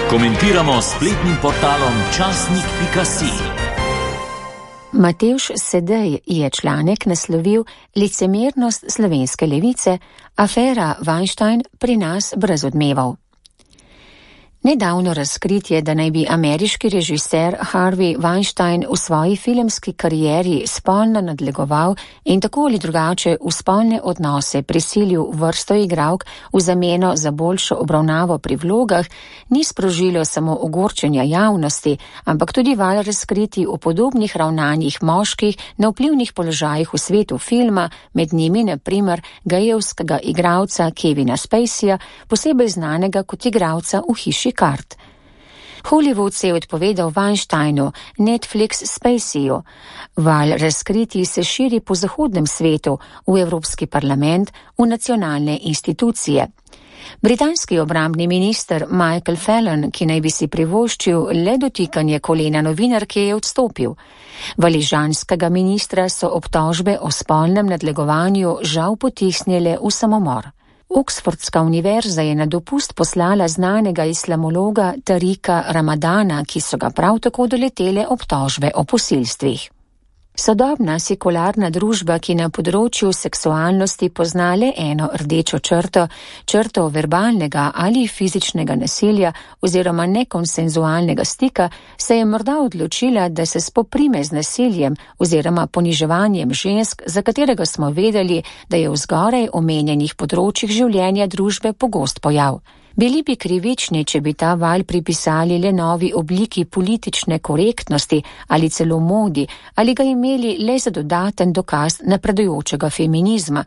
Komentiramo s spletnim portalom časnik.si. Matevž Sedej je članek naslovil Licemernost slovenske levice, afera Weinstein pri nas brez odmevov. Nedavno razkritje, da naj bi ameriški režiser Harvey Weinstein v svoji filmski karieri spolno nadlegoval in tako ali drugače v spolne odnose prisilil vrsto igralk v zameno za boljšo obravnavo pri vlogah, ni sprožilo samo ogorčenja javnosti, ampak tudi val razkriti o podobnih ravnanjih moških na vplivnih položajih v svetu filma, med njimi na primer gejevskega igralca Kevina Spaceyja, posebej znanega kot igralca v Hiši Kart. Hollywood se je odpovedal Weinsteinu, Netflix Spaceyju. Val razkriti se širi po zahodnem svetu, v Evropski parlament, v nacionalne institucije. Britanski obrambni minister Michael Fallon, ki naj bi si privoščil le dotikanje kolena novinarke, je odstopil. Valižanskega ministra so obtožbe o spolnem nadlegovanju žal potisnile v samomor. Oxfordska univerza je na dopust poslala znanega islamologa Tarika Ramadana, ki so ga prav tako doletele obtožbe o posilstvih. Sodobna sekularna družba, ki na področju seksualnosti pozna le eno rdečo črto, črto verbalnega ali fizičnega nasilja oziroma nekonsenzualnega stika, se je morda odločila, da se spoprime z nasiljem oziroma poniževanjem žensk, za katerega smo vedeli, da je v zgoraj omenjenih področjih življenja družbe pogost pojav. Bili bi krivični, če bi ta val pripisali le novi obliki politične korektnosti ali celo modi, ali ga imeli le za dodaten dokaz napredujočega feminizma,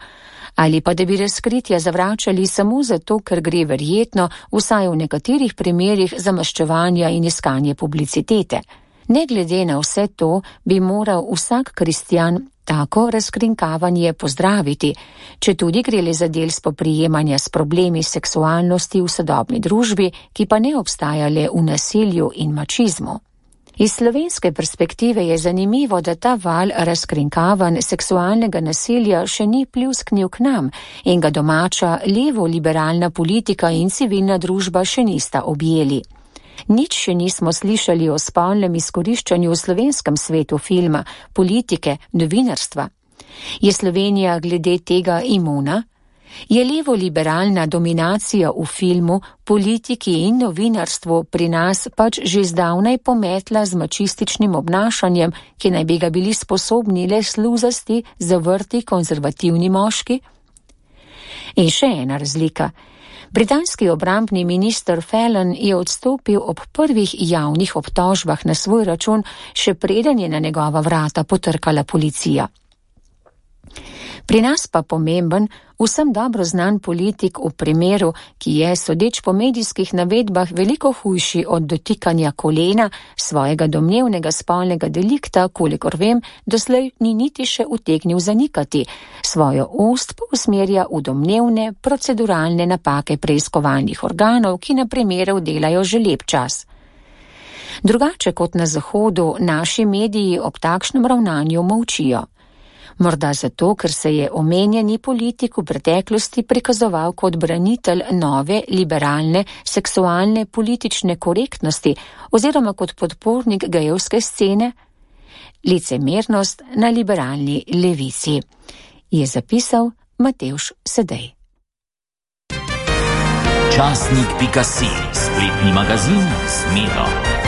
ali pa da bi razkritja zavračali samo zato, ker gre verjetno, vsaj v nekaterih primerih, za maščevanja in iskanje publicitete. Ne glede na vse to, bi moral vsak kristjan tako razkrinkavanje pozdraviti, če tudi gre le za del spoprijemanja s problemi seksualnosti v sodobni družbi, ki pa ne obstaja le v nasilju in mačizmu. Iz slovenske perspektive je zanimivo, da ta val razkrinkavanj seksualnega nasilja še ni pljusknil k nam in ga domača levo-liberalna politika in civilna družba še nista objeli. Nič še nismo slišali o spolnem izkoriščanju v slovenskem svetu filma, politike, novinarstva. Je Slovenija glede tega imuna? Je levo-liberalna dominacija v filmu, politiki in novinarstvu pri nas pač že zdavnaj pometla z mačističnim obnašanjem, ki naj bi ga bili sposobni le sluzasti, zavrti konzervativni moški? In še ena razlika. Britanski obrambni minister Fallon je odstopil ob prvih javnih obtožbah na svoj račun, še preden je na njegova vrata potrkala policija. Pri nas pa pomemben, vsem dobro znan politik v primeru, ki je, sodeč po medijskih navedbah, veliko hujši od dotikanja kolena, svojega domnevnega spolnega delikta, kolikor vem, doslej ni niti še utegnil zanikati. Svojo ost pa usmerja v domnevne proceduralne napake preiskovalnih organov, ki na primeru delajo že lep čas. Drugače kot na Zahodu, naši mediji ob takšnem ravnanju molčijo. Morda zato, ker se je omenjeni politik v preteklosti prikazoval kot branitelj nove, liberalne, seksualne, politične korektnosti oziroma kot podpornik gejevske scene? Licemernost na liberalni levici, je zapisal Matevž Sedej. Časnik.si, spletni magazin s Miro.